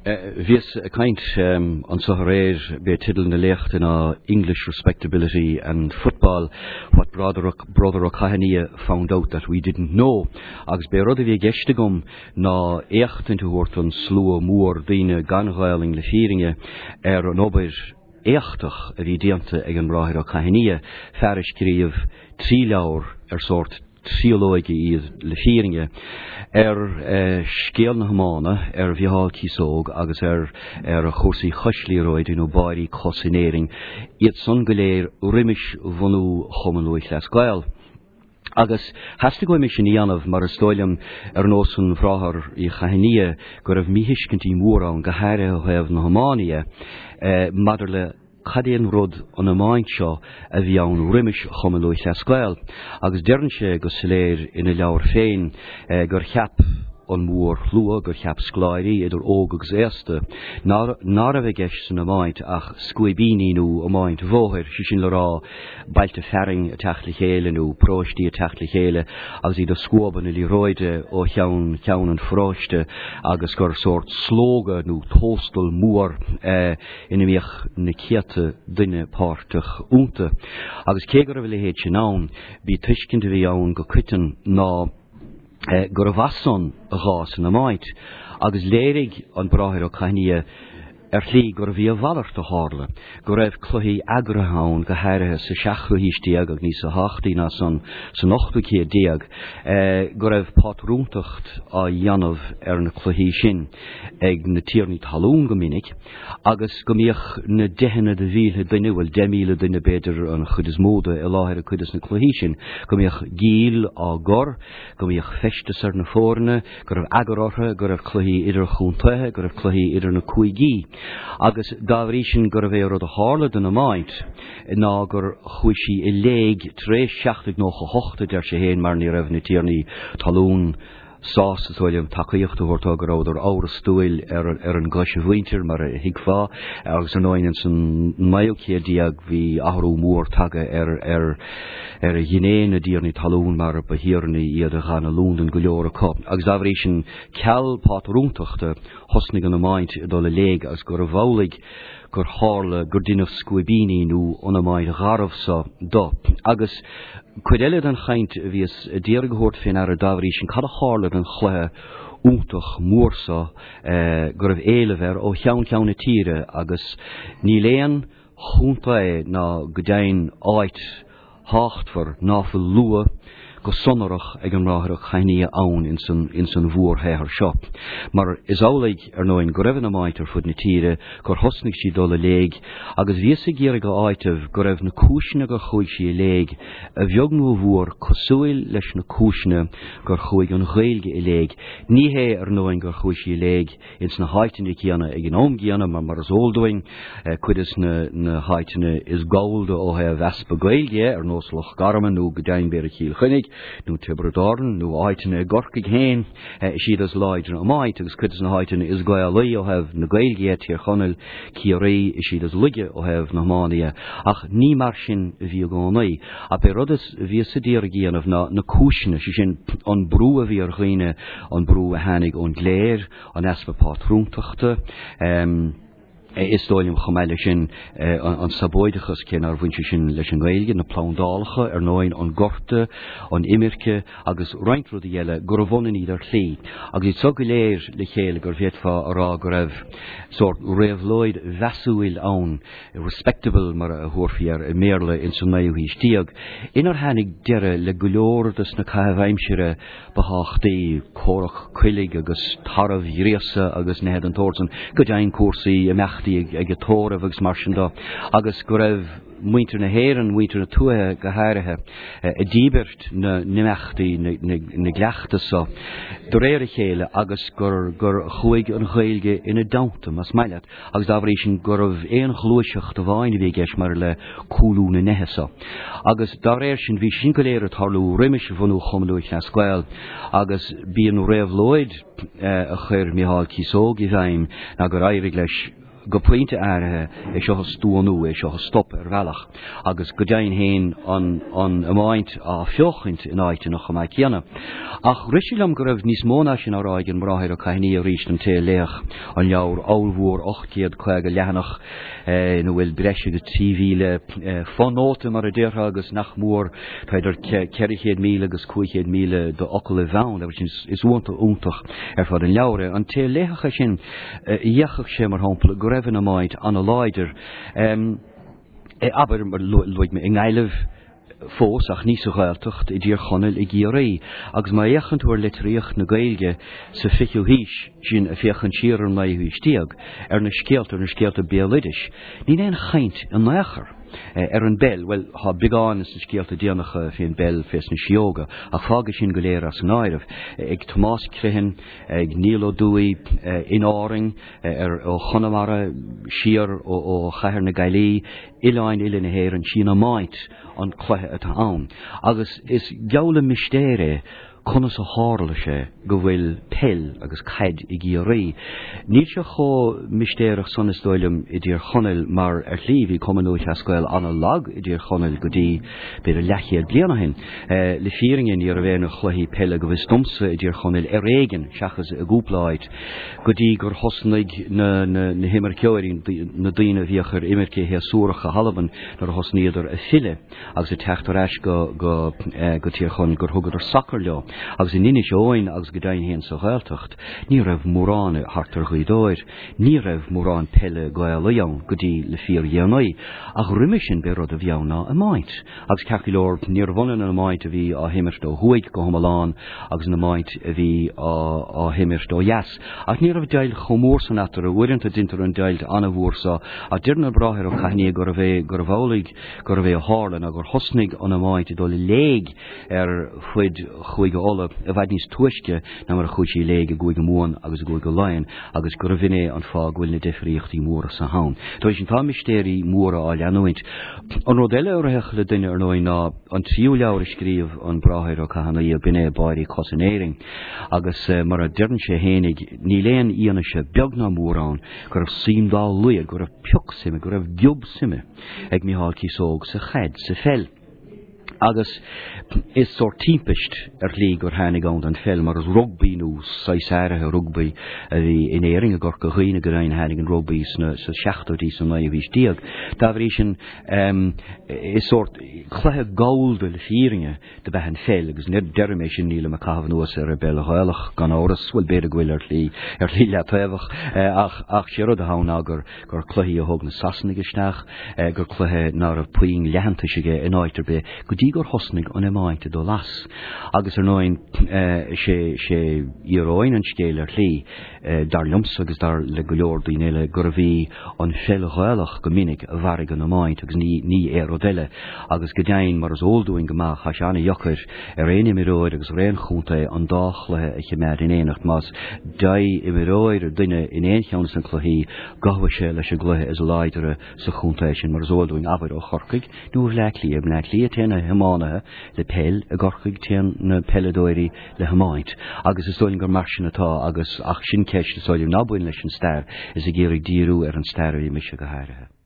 Bhíos ag caint anso aréir, b'é teideal na léachta ná English Respectability and Football, What Brother Brother Ó Cadhla Found Out That We Didn't Know. Agus b'é rud a bhí i gceist agam ná éachtaint a thabhairt don slua mór daoine gan Ghaelainn le fírinne ar an obair éachtach a bhí déanta ag an mBráthair Ó Cadhla, fear a scríobh 3 leabhar ar sórt triolóige iad le fírinne, ar scéal na hiomána, ar Mhicheál Cíosóg agus ar ar chúrsaí coisliathróide nó báirí cos in Éirinn, iad san go léir roimis bhunú Chumann Lúthchleas Gael. Agus theastaigh uaim é sin a dhéanamh mar is dóigh liom, ar nós an Bhráthar Uí Chaithnia, go raibh míthuiscintí móra ann, go háirithe ó thaobh na hiomána dhe, maidir le cad é an rud an iomáint seo a bhí ann roimis Chumann Lúthchleas Gael agus deireann sé go soiléir ina leabhar féin gur cheap an mórshlua, gur cheap scoláirí, idir óg agus aosta, ná raibh i gceist san iomáint ach scuaibíní nó iomáint bhóthair, sé sin le rá bailte fearainn ag teacht le chéile nó paróistí ag teacht le chéile agus iad ag scuabadh na liathróide ó cheann ceann an pharóiste agus gur sórt slógadh nó tóstal mór ina mbíodh na céadta duine páirteach iontu. Agus cé go raibh a leithéid sin ann, b'í tuiscint a bhí ann go coiteann ná gurbh as san a dh'fhás an iomáint, agus léirigh an Bráthair Ó Cadhla ar shlí gurbh í a mhalairt a tharla, go raibh cluichí eagraithe ann, go háirithe sa seachtú haois déag agus níosa thábhachtaí ná san san ochtú céad déag, go raibh pátrúntacht á dhéanamh ar na cluichí sin ag na tiarnaí talún go minic agus go mbíodh na deicheanna de mhílte duine, bhuel 10,000 duine b'fhéidir an chuid is mó de, i láthair ag cuid de na cluichí sin, go mbíodh giall á gcur, go mbíodh feisteas ar na foirne, go raibh eagar orthu, go raibh cluichí idir-chontaetha, go raibh cluichí idir na cúigí. Agus dá bhrí sin gurbh é rud a tharla don iomáint ná gur chuaigh sí i léig tar éis 1798, a deir sé féin, mar ní raibh na tiarnaí talún, sásta, is dóigh liom, tacaíocht a thabhairt dó, go rabhadar amhrastúil ar ar an gcoismhuintir, mar a thuigfeá, agus ar ndóigh ins an naoú céad déag bhí athrú mór tagtha ar ar ar ghné na dtiarnaí talún mar ba thiarnaí iad a d'fhan i Londain go leor acu. Agus dá bhrí sin, ceal pátrúntachta, thosnaigh an iomáint ag dul i léig agus gurbh amhlaidh gur tharla gur deineadh scuaibíní nó an iomáint gharbh so do. Agus cuid eile den chaint a bhíos a d'iarraidh a thabhairt fé ndeara dá bhrí sin, cad a tharla don chluiche iontach mór so go raibh éileamh air ó cheann ceann na tíre agus níl aon chontae ná go deimhin áit thábhachtmhar ná fuil lua go sonrach ag an mBráthair Ó Cadhla ann ins an ins an mhórshaothar seo. Mar is amhlaidh, ar ndóin, go raibh an iomáint ar fud na tíre, gur thosnaigh sí dul i léig, agus bhíos ag iarraidh a áiteamh go raibh na cúiseanna gur chuaigh sí i léig, a bheag nó a mhór, cosúil leis na cúiseanna gur chuaigh an Ghaeilge i léig. Ní hé, ar ndóin, gur chuaigh sí i léig ins na háiteanna céanna ag an am gcéanna, mar mar is eol dúinn, cuid des na háiteanna is gallda ó thaobh easpa Gaeilge, ar nós Loch Garman nó go deimhin b'fhéidir Cill Chainnigh nó Tiobraid Árann nó áiteanna i gCorcaigh féin, is iad is láidre iomáint agus cuid des na háiteanna is Gaelaí ó thaobh na Gaeilge dhe, Tír Chonaill, Ciarraí, is iad is laige ó thaobh na hiomána dhe. Ach ní mar sin a bhí i gcónaí. Ach b'é rud a bhíos a d'iarraidh a dhéanamh ná na cúiseanna, sé sin an brú a bhí ar dhaoine, an brú a tháinig ón gcléir, an easpa pátrúntachta, is dóigh liom chomh maith leis sin an sabóideachas, cé nár bhain sé sin leis an nGaeilge, na plandálacha, ar ndóigh, an gorta, an imirce agus roinnt rudaí eile, gurbh ionann iad ar shlí. Agus iad seo go léir le chéile go bhféadfá a rá go raibh sórt réabhlóid mheasúil ann, respectable mar a thabharfaí air i mBéarla, ins an naoú haois déag, inar tháinig deireadh le go leor de na caithimh aimsire ba thábhachtaí, comhrac coiligh agus tarbh-ghríosadh agus nithe den tsórt san, go deimhin cúrsaí imeachtaí ag an tórramh agus mar sin de, agus go raibh muintir na hÉireann, muintir na tuaithe go háirithe, ag díbirt na n-imeachtaí, na gcleachtas so, de réir a chéile agus gur gur chuaigh an Ghaeilge ina dteannta, más maith leat. agus dá bhrí sin gurbh aon ghluaiseacht amháin a bhí i gceist maidir le cúlú na neithe so. Agus dá réir sin bhí sin go léir ag tarlú roimis bhunú Chumann Lúthchleas Gael agus b'í an réabhlóid a chuir Micheál Cíosóg i bhfeidhm ná gur éirigh leis. go pointe áirithe, é seo a stuanú, é seo a stop ar bhealach, agus go deimhin féin an an iomáint á feochaint in áiteanna chomh maith céanna. Ach rith sé liom go raibh níos mó ná sin á rá ag an mBráthair Ó Cadhnaigh arís don té a léifeadh an leabhar ollmhór 850 leathanach ina bhfuil breis agus 3,000 fonóta mar a déarfá agus nach mór tá idir 400,000 agus 500,000 d'fhocal i bhfeann agus is iontach ar fad an leabhar é. An té a léifeadh é sin d'fheicfeadh sé mar shampla go raibh an iomáint an-láidir abair mar luaigh mé i nGaillimh fós ach ní sa Ghaeltacht, i dTír Chonaill, i gCiarraí. Agus má fhéachann tú ar litríocht na Gaeilge sa fichiú haois, sin ag féachaint siar ar an naoú haois déag, ar na scéalta, ar na scéalta béaloidis, níl aon chaint in aon chor ar an bpeil, bhuel, tá beagán sna scéalta déanacha fén bpeil fés na síóga, ach fág é sin go léir as an áireamh. Ag Tomás Criomhthain, ag Niall Ó Dubhthaigh, in Árainn, ar ó Chonamara siar ó Chathair na Gaillimhe, oileáin uile na hÉireann, sí an iomáint an cluiche atá ann. Agus is geall le mistéir é conas a tharla sé go bhfuil peil agus caid i gCiarraí. Níl sé chomh mistéireach san is dóigh liom i dTír Chonaill mar ar shlí bhí Cumann Lúthchleas Gael an-lag i dTír Chonaill go dtí b'fhéidir leathchéad bliain ó shin. Le fírinne ní raibh aon chluichí peile go bhfios domsa i dTír Chonaill ar éigean seachas i gcúpla áit go dtí gur thosnaigh na na himirceoirí, na daoine a bhíodh ar imirce shéasúrach go hAlbain nuair a thosnaíodar ag filleadh agus ag teacht ar ais go go go Tír Chonaill gur thugadar sacar leo. Agus in Inis Eoghain agus go deimhin féin sa Ghaeltacht ní raibh mórán thart ar Ghaoth Dobhair, ní raibh mórán peile Gaelaí ann go dtí le fíordhéanaí. Ach roimhe sin b'é rud a bhí ann ná iomáint. Agus ceart go leor, níorbh ionann an iomáint a bhí á himirt ó thuaidh go hiomlán agus an iomáint a bhí á himirt ó dheas. Ach ní raibh deighilt chomh mór san eatarthu. Uaireanta deintear an deighilt an-mhór so, ach deireann an Bráthair Ó Cadhnaigh gurbh é gurbh amhlaidh gurbh é a tharla ná gur thosnaigh an iomáint ag dul i léig ar fuid Chúige Uladh i bhfad níos túisce ná mar a chuaigh sí i léig i gCúige Mumhan agus i gCúige Laighean agus gurbh in é an fáth go bhfuil na difríochtaí móra so ann. Dá bhrí sin tá mistéirí móra á leanúint. An rud eile a rithfeadh le duine ar ndóigh ná an tríú leabhar a scríobh an Bráthair Ó Cadhnaigh, b'in é Báirí Cos in Éirinn. Agus mar a deireann sé fhéinig, níl aon fhianaise beag ná mór ann go raibh suim dá laghad, go raibh pioc suime, go raibh giob suime ag Micheál Cíosóg sa chaid, sa pheil. Agus is sórt timpist ar shlí gur tháinig ann don pheil mar is rugbaí nó saghas áirithe rugbaí a bhí in Éirinn i gCorca Dhuibhne go deimhin tháinig an rugbaí sna sa seachtóidí sa naoú haois déag. Dá bhrí sin is sórt cluiche gallda le fírinne do b'ea an pheil agus nuair a deirim é sin nílim ag caitheamh anuas ar an bpeil Ghaelach gan amhras, bhuel b'fhéidir go bhfuil ar shlí ar shlí leataobhach ach ach sé rud atá ann ná gur gur cluiche a thug na Sasanaigh isteach, gur cluiche ná raibh puinn leathantais aige in áit ar bith go dtí gur thosnaigh an iomáint ag dul as. Agus ar ndóigh sé sé íoróin an scéil ar shlí, dar liomsa agus dar le go leor daoine eile, gurbh í an pheil Ghaelach go minic a mharaigh an iomáint agus ní ní aon rud eile. Agus go deimhin, mar is eol dúinn go maith, tá sé an-dheacair ar aon imreoir agus ar aon chontae an dá chluiche a chimeád in éineacht. Más dea-imreoir duine in aon cheann de na cluichí, gabhfaidh sé leis an gcluiche is láidre sa chontae sin, mar is eol dúinn, abair, ó Chorcaigh nó ó Bhleá Cliath. I mBleá Cliath téann na hiománaithe le peil, i gCorcaigh téann na peileadóirí le hiomáint. Agus is dóigh liom gur mar sin atá agus, ach sin ceist is dóigh liom ná bain leis an stair, is ag iarraidh díriú ar an stair a bhí mise go háirithe.